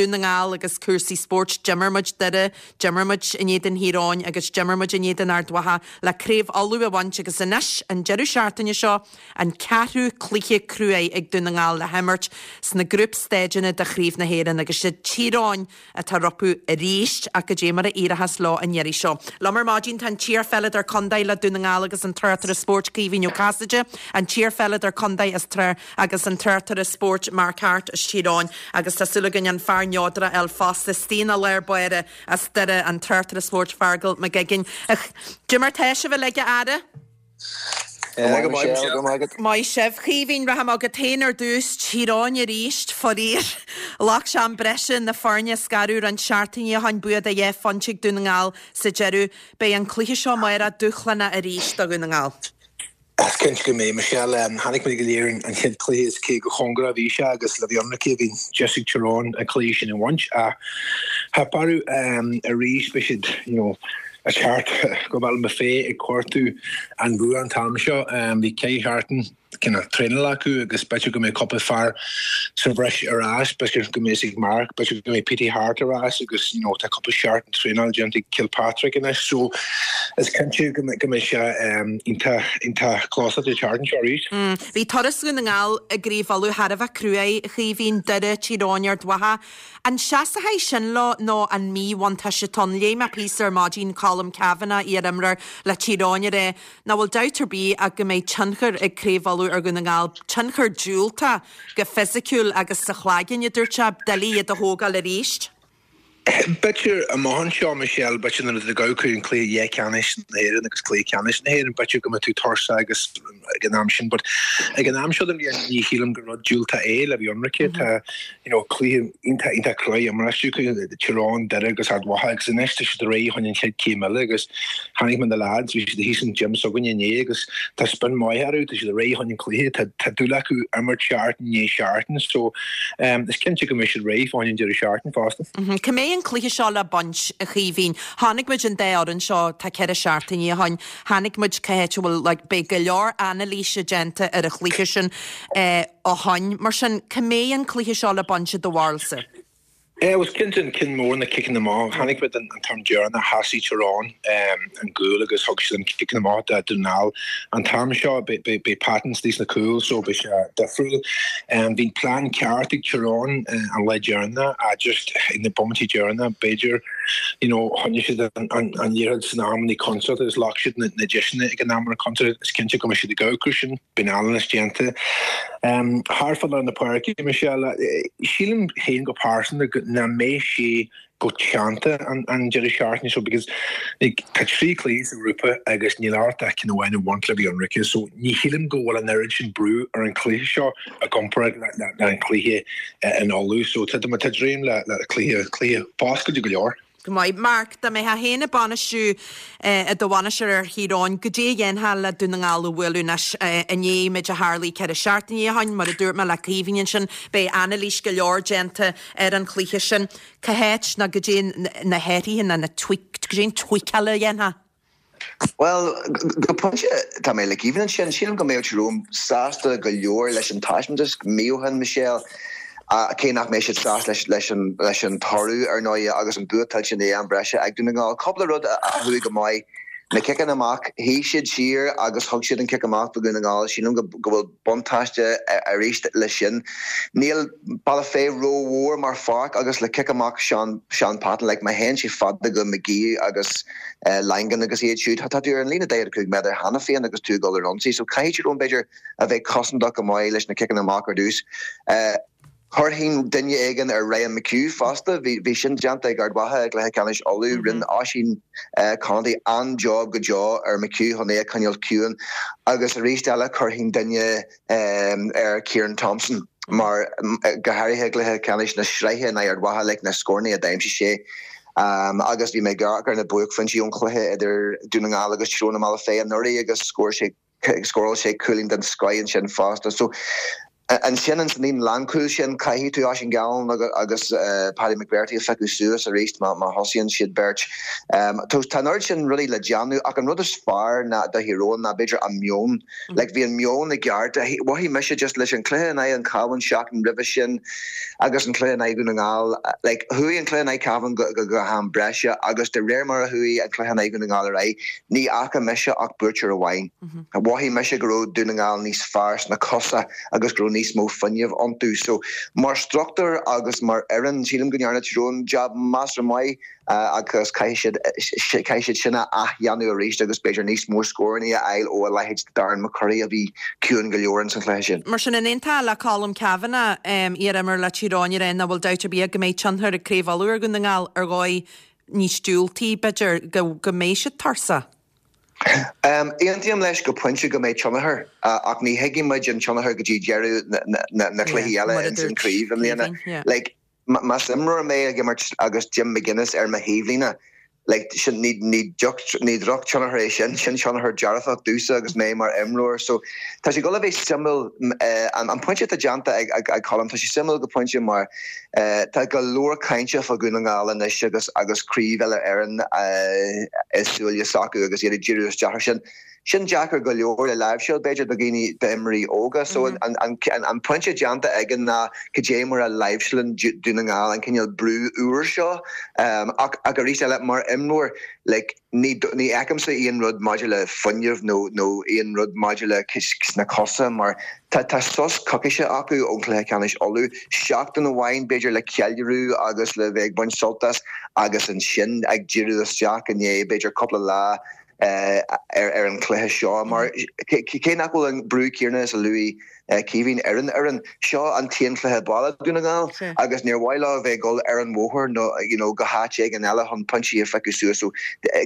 Dún na nGall agus cúrsaí spóirt. D'imir muid Doire, d'imir muid in éadan Thír Eoghain agus d'imir muid in éadan Ard Mhacha le Craobh Uladh a bhaint agus anois, an deireadh seachtaine seo, an ceathrú cluiche cruaidh ag Dún na nGall le himirt sna grúpstáideanna de Chraobh na hÉireann agus siad Tír Eoghain atá rompu arís ach cad é mar a éireochas leo an iarraidh seo. Liom ar maidin tá an t-iarpheileadóir contae le Dún na nGall agus an tráchtaire spóirt Caoimhín Ó Casaide, an t-iarpheileadóir contae as Trá agus an tráchtaire spóirt Mark Harte as Tír Eoghain agus tá súil againn an fear neodrach a fháil fosta istigh ina lár báire as Doire, an tráchtaire spóirt Feargal Mac Uiginn. Cad é mar tá sibh uilig, a fheara? Go maith, Michelle. Go maith agat. Maith sibh. Caoimhín, rachaidh mé chugat féin ar dtús. Tír Eoghain arís, faraor. Lucht am breise na foirne a scaradh roinnt seachtainí ó shin, bua de dheich phointe ag Dún na nGall sa deireadh. Beidh an cluiche seo amárach dúshlánach arís do Dhún na nGall. Is cinnte go mbeidh, Michelle. Chonaic muid go léir an chéad chluiche is cé chomh cóngarach a bhí sé agus le bheith ionraic bhí an deis ag Tír Eoghain an cluiche sin a bhaint ach theip orthu arís. Beidh siad you know ag teacht go Béal Átha Féith ag cuartú an bhua an t-am seo. Bhí ceithre sheachtain kind of traenáil acu agus b'fhéidir go mbeidh cúpla fear sa bhreis ar ais, b'fhéidir go mbeidh ag Mark, b'fhéidir go mbeidh Petey Harte ar ais agus you know tá cúpla seachtain traenáil déanta ag Kilpatrick anois so is cinnte go mbeidh go mbeidh sé iontach iontach close an tseachtain seo arís. Bhí turas Dhún na nGall i gCraobh Uladh thar a bheith cruaidh, a Chaoimhín, Doire, Tír Eoghain, Ard Mhacha. An seasfaidh sin leo nó an míbhuntáiste atá ann? Léigh mé píosa ar maidin, Colm Cavanagh, iar-imreoir le Tír Eoghain ag rá nach bhfuil dabht ar bith ach go mbeidh tionchar ag Craobh Uladh ar Dhún na nGall, tionchar diúltach go fisiciúil agus sa chlaigeann, a dúirt sé, doiligh iad a thógáil arís. B'fhéidir amach anseo, Michelle, b'fhéidir nuair atá tú ag gabháil chuig an cluiche leathcheannais na hÉireann agus cluiche ceannais na hÉireann, b'fhéidir go mbeidh tú tuirseach agus ag an am sin, but ag an am seo den bhliain ní shílim gur rud diúltach é le bheith ionraic. Tá you know cluiche iontach iontach cruaidh imeartha acu, Tír Eoghain, Doire agus Ard Mhacha agus anois tá siad réidh chun an chéad chéim eile agus chonaic mé na lads, bhí siad thíos an gym s'againne inné agus tá spion maith orthu, tá siad réidh chun an cluiche, tá tá dúil acu imirt seachtain i ndiaidh seachtain so um, is cinnte go mbeidh siad réidh fá choinne an deireadh seachtain fosta. Cá mbeidh an cluiche seo le baint, a Chaoimhín? Chonaic muid an dá fhoireann seo, tá 4 seachtainí ó shoin, chonaic muid cá háit a bhfuil, like, beidh go leor anailíse déanta ar an chluiche sin ó shoin. Mar sin, cá mbeidh an cluiche seo le baint i do bharúilsa? Eh, is cinnte an ceann mór na ciceanna amach. Chonaic muid an t-am deireanach sheasaigh Tír Eoghain an gcúl agus thug siad an ciceanna amach do Dún na nGall. An t-am seo beidh Patton istigh sna cúil so beidh sé difriúil. Bhí an plean ceart ag Tír Eoghain an lá deireanach ach just ag na bomaití deireanach b'fhéidir you know choinnigh siad an liathróid san amanna contúirteacha agus ghlac siad na deiseanna ag an amanna contúirteacha. Is cinnte go mbeidh siad ag amharc air sin. Bíonn anailís déanta thart fá lár na páirce, Michelle. Sílim féin go pearsanta go nach mbeidh sé go teannta an deireadh seachtaine seo because like tá trí chluiche sa ghrúpa agus níl ort ach ceann amháin a bhaint le bheith ionraice so ní shílim go bhfuil an oiread sin brú ar an chluiche seo i gcomparáid le an cluiche in Uladh so tá tá dréim le le cluiche cluiche foscailte go leor. Go maith. Mark, dá mbeifeá féin ag bainistiú, i do bhainisteoir ar Thír Eoghain, goidé a dhéanfá le Dún na nGall a bhualadh anois i ndiaidh an méid a tharlaigh 4 seachtainí ó shoin? Mar a dúirt mé le Caoimhín ansin, beidh anailís go leor déanta ar an chluiche sin. Cá háit nó goidé na hathruithe nó na tweak, goidé an tweakáil a dhéanfá? Bhuel, go pointe, tá mé le Caoimhín ansin. Sílim go mbeadh Tyrone sásta go leor leis an taispeántas mí ó shin, Michelle, cé nach mbeidh siad sásta leis leis an toradh, ar ndóigh, agus an bua tuillte in am breise ag Dún na nGall. Cúpla rud a chuaigh go maith, na ciceanna amach, shuigh siad siar agus thug siad an cic amach do Dhún na nGall. Sílim go bhfuil buntáiste arís leis sin. Níl Bealach Féich rómhór mar pháirc agus le cic amach Sean Sean Patton, like má théann sé fada go McGee agus Langan agus iad siúd, tá tú ar an líne 45 méadar cheana féin agus tú ag dul ar ionsaí. So caithfidh Tyrone b'fhéidir a bheith cosantach go maith leis na ciceanna amach ar dtús. Chuirfinn duine éigin ar Ryan McHugh fosta. Bhí sin déanta ag Ard Mhacha i gcluiche ceannais Uladh. Rinne Oisín Connolly an-job go deo ar McHugh chun é a choinneáil ciúin. Agus arís eile chuirfinn duine ar Ciarán Thompson mar go háirithe i gcluiche ceannais na sraithe in aghaidh Ard Mhacha like na scóranna a d'aimsigh sé. Agus bhí mé ag amharc ar na buaicphointí ón chluiche idir Dún na nGall agus Tyrone i mBealach Féich anuraidh agus scór sé scóráil sé cúilín den scoith ansin fosta. So. Ansin ins an líne lánchúil sin, caithfidh tú Oisín Gallen agus Paddy McBrearty a phiocadh suas arís má thosaíonn siad beirt. Tá an oiread sin rudaí le déanamh ach an rud is fearr ná do Thír Eoghain ná b'fhéidir an meon. Like bhí an meon i gceart. Mhothaigh mise just leis an cluiche in aghaidh an Chabháin seachtain roimhe sin agus an cluiche in aghaidh Dhún na nGall, like chuaigh an cluiche in aghaidh Cabhán go go ham breise agus de réir mar a chuaigh an cluiche in aghaidh Dhún na nGall ar aghaidh, ní fhaca mise ach buaiteoir amháin. Mhothaigh mise go raibh Dún na nGall níos fearr sna cosa agus go raibh níos mó fuinnimh iontu. So, mar struchtúr agus mar fhoireann, sílim go ndearna Tír Eoghain jab measartha maith agus caithfidh siad caithfidh siad sin a athdhéanamh arís agus b'fhéidir níos mó scóranna a fháil ó a leithéid de Darren McCurry a bhí ciúin go leor ins an chluiche sin. Mar sin, an aontófá le Colm Cavanagh, iar-imreoir le Tír Eoghain, ag rá nach bhfuil dabht ar bith go mbeidh tionchar ag Craobh Uladh ar Dhún na nGall ar dhóigh níos diúltaí, b'fhéidir, go go mbeidh siad tuirseach? Aontaím leis go pointe go mbeidh tionchar, ach ní thuigfidh muid an tionchar go dtí deireadh na cluichí eile ins an craobh i mbliana. Like, más imreoir mé ag imirt agus Jim McGuinness ar mo thaobhlíne, like, sin, ní, ní, ní droch-tionchar é sin, sin tionchar dearfach domhsa agus mé mar imreoir. So, tá sé ag dul a bheith suimiúil, an pointe atá déanta ag, ag, ag Colm, tá sé suimiúil go pointe mar, Tá go leor cainte fá Dhún na nGall anois agus agus Craobh Uile-Éireann i súile s'acu agus iad ag díriú isteach air sin. Sin deacair go leor le láimhseáil b'fhéidir do dhaoine, d'imreoirí óga. So an pointe déanta aige ná cad é mar a láimhseálann Dún na nGall an cineál brú úr seo. Ach arís eile, mar imreoir, like, Ní fheicimse aon rud maidir le fuinneamh nó nó aon rud maidir le sna cosa mar tá tá sos coicíse acu ón chluiche ceannais Uladh, seachtain amháin b'fhéidir le ceiliúradh agus le bheith ag baint sult as agus ansin ag díriú isteach i ndiaidh b'fhéidir cúpla lá ar ar an chluiche seo mar cé nach bhfuil an brú céanna is a luaigh Caoimhín ar an fhoireann. Seo an t-aon chluiche baile Dún na nGall agus níor mhaith leo a bheith ag dul ar an bhóthar nó you know go háit éigin eile chun pointí a phiocadh suas. So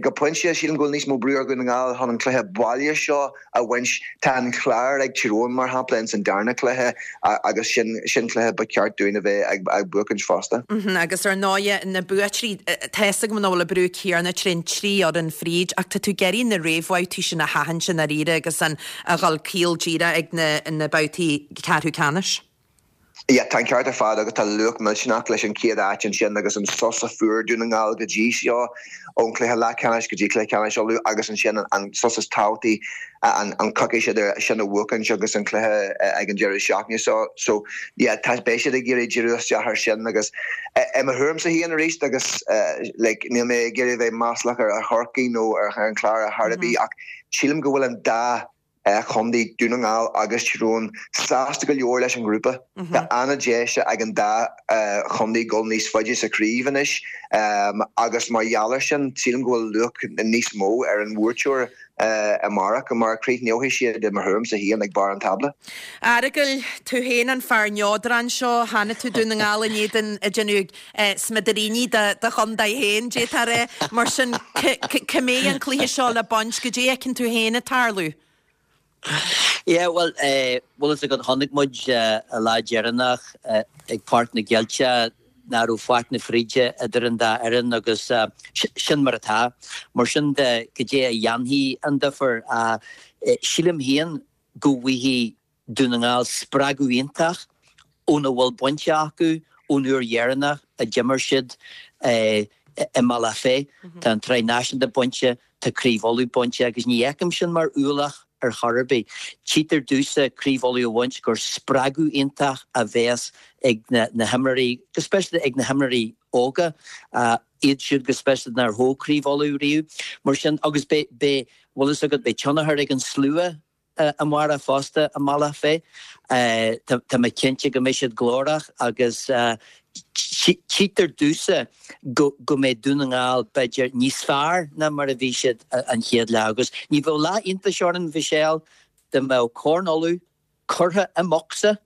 go pointe sílim go bhfuil níos mó brú ar Dhún na nGall chun an cluiche baile seo a bhaint. Tá an Clár ag Tír Eoghain mar shampla ins an darna cluiche agus sin sin cluiche ba cheart dúinn a bheith ag ag buachaint fosta. Agus ar ndóighe na buaiteoirí, tá fhios agam nach bhfuil an brú céanna tríd an trí fhoireann fríd ach tá tú ag iarraidh na réamhbhabhtaí sin a sheachaint i ndáiríre agus an a dhul caol díreach ag na babhtaí ceathrú ceannais. Yeah, tá an ceart ar fad agus tá luach millteanach leis an chéad áit ansin agus an sos a fuair Dún na nGall go dtí seo, ón chluiche leathcheannais go dtí cluiche ceannais Uladh agus ansin an sos is tábhachtaí an coicís idir sin a bhuachaint agus an cluiche ag an deireadh seachtaine seo. So yeah, tá, beidh siad ag iarraidh díriú isteach ar sin agus i mo thuairimse féin arís agus like níl mé ag iarraidh a bheith maslach ar Chorcaigh nó ar an Chlár ar chor ar bith ach Sílim go bhfuil an dá chontae, Dún na nGall agus Tír Eoghain, sásta go leor leis an ngrúpa. Tá an-deis ag an dá chontae dul níos faide sa chraobh anois agus mar gheall air sin, sílim go bhfuil luach níos mó ar an bhuaiteoir amárach mar críochnóidh siad, i mo thuairimse féin, ag barr an tábla. A Fhearghail, tú féin an fear neodrach anseo, chonaic tú Dún na nGall in éadan ag déanamh smidiríní do chontae féin, d'fhéadfá a rá. Mar sin, cá mbeidh an cluiche seo le baint? Goidé a fheiceann tú féin ag tarlú? Yeah, bhuel, bhfuil fhios agat, chonaic muid an lá deireanach ag Páirc na gCeilteach nach raibh faic na fríde idir an dá fhoireann agus sin mar atá. Mar sin de, goidé a dhéanfaidh an difear? Sílim féin go bhfaighidh Dún na nGall spreagadh iontach óna bhfuil bainte acu ón uair dheireanach a d'imir siad i mBealach Féich. Tá an tSraith Náisiúnta bainte, tá Craobh Uladh bainte agus ní fheicim sin mar ualach ar chor ar bith. Tchítear domhsa Craobh Uladh a bhaint gur spreagadh iontach a bheas ag na himreoirí, go speisialta ag na himreoirí óga, iad siúd go speisialta nár thóg Craobh Uladh riamh. Mar sin, agus beidh, bhfuil fhios agat, beidh tionchar ag an slua amárach fosta i mBealach Féich. Tá mé cinnte go mbeidh siad glórach agus tchítear domhsa go mbeidh Dún na nGall b'fhéidir níos fearr ná mar a bhí siad an chéad leath agus ní bheadh lá iontais orm Mhichelle dá mbeadh Corn Uladh curtha i mbocsa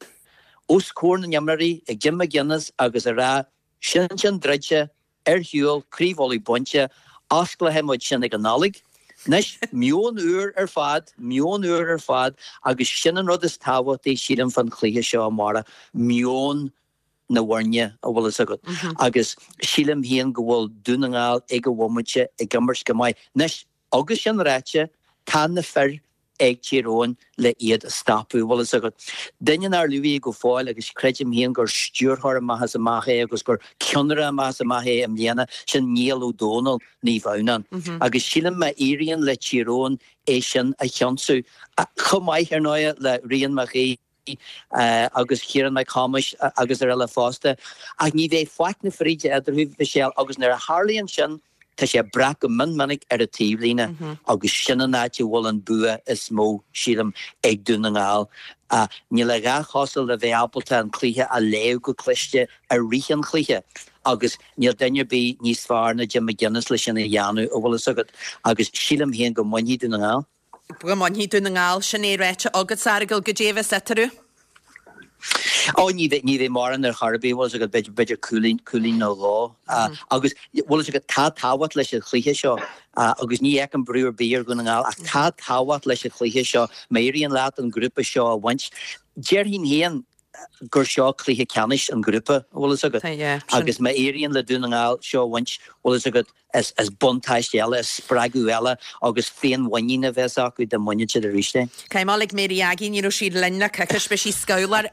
os comhair na n-imreoirí ag Jim McGuinness agus a rá sin sin druidte ar shiúl, Craobh Uladh bainte, osclóidh muid sin ag an Nollaig. Anois, meon úr ar fad, meon úr ar fad agus sin an rud is tábhachtaí, sílim, fán chluiche seo amárach, meon na bhfoirne, a bhfuil fhios agat. Agus sílim féin go bhfuil Dún na nGall ag an bhomaite ag imirt go maith. Anois, agus sin ráite, tá na fir. ag Tír Eoghain le iad a stopadh, bhfuil fhios agat. Duine nár luaigh go fóill agus creidim féin gur stiúrthóir amach is amach é agus gur ceannaire amach is amach é i mbliana, sin Niall Ó Dónaill, Naomh Adhamhnáin. Agus sílim má éiríonn le Tír Eoghain é sin a cheansú, chomh maith, ar ndóigh, le Rian Mac Aoidh, agus Ciarán Mac Thomáis agus araile fosta. Ach ní bheidh faic na fríde eadarthu, Michelle, agus nuair a tharlaíonn sin, tá sé ag brath go mion minic ar an taobhlíne agus sin an áit a bhfuil an bua is mó, sílim, ag Dún na nGall. Níl a dhath cosúil le bheith ábalta an cluiche a léamh go cliste i rith an chluiche agus níl duine ar bith níos fearr ná Jim McGuinness le sin a dhéanamh, a bhfuil fhios agat, agus sílim féin go mbainfidh Dún na nGall. Go mbainfidh Dún na nGall, sin é ráite agat, a Fheargail. Goidé a bheas eatarthu? Ó, ní bheidh, ní bheidh mórán ar chor ar bith, bhfuil fhios agat, b'fhéidir, b'fhéidir cúilín, cúilín nó dhó. Agus, bhfuil fhios agat, tá tábhacht leis an chluiche seo agus ní fheicim brú ar bith ar Dhún na nGall ach tá tábhacht leis an chluiche seo má éiríonn leat an grúpa seo a bhaint. Déarfainn féin gur seo cluiche ceannais an ghrúpa, bhfuil fhios agat. Agus má éiríonn le Dún na nGall seo a bhaint, bhfuil fhios agat, Is buntáiste eile, is spreagadh eile agus féinmhuinín a bheas acu dá mbainfeadh siad arís é. Caithfidh mé ag Mary Aggie, ní raibh sí linn le coicís, beidh sí scamhlar.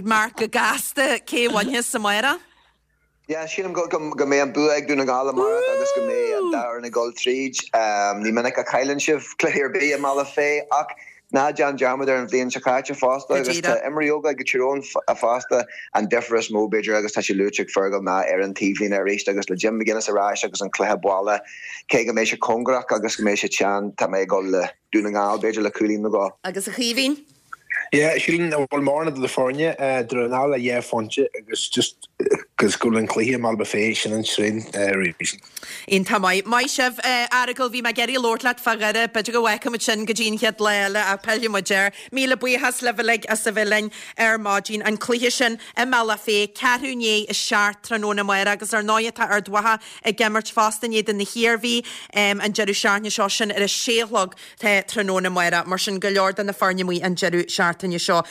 Mark, go gasta, cé a bhainfeas amárach? Yeah, sílim go mbeidh an bua ag Dún na nGall amárach agus go mbeidh an dá fhoireann ag dul tríd. Ní minic a chailleann sibh cluiche ar bith i mBealach Féich ach Ná déan dearmad ar an bhliain seo caite fosta agus tá imreoirí óga ag Tír Eoghain fosta. An difear is mó, b'fhéidir, agus tá sé luaite ag Fergal, ná ar an taobhlíne arís agus le Jim McGuinness ar ais agus an cluiche baile, cé go mbeidh sé cóngarach agus go mbeidh sé teann, tá mé ag dul le Dún na nGall, b'fhéidir, le cúilín nó dhó. Agus a Chaoimhín? Yeah, sílim nach bhfuil mórán idir na foirne, Dún na nGall le dhá phointe agus just agus go bhfuil an cluiche i mBaile Féich, sin an tréan reason. Iontach maith. Maith sibh. A Fheargail, bhí mé ag iarraidh labhairt leat fá Dhoire. B'fhéidir go bhfágfaidh muid sin go dtí an chéad lá eile ach pillfidh muid air. Míle buíochas libh uilig as a bheith linn ar maidin. An cluiche sin i mBealach Féich, ceathrú i ndiaidh a 7 tráthnóna amárach agus ar ndóigh tá Ard Mhacha ag imirt fosta in éadan na hIarmhí an deireadh seachtaine seo, sin ar a sé a chlog tráthnóna amárach. Mar sin go leor de na foirne amuigh an deireadh seachtaine seo.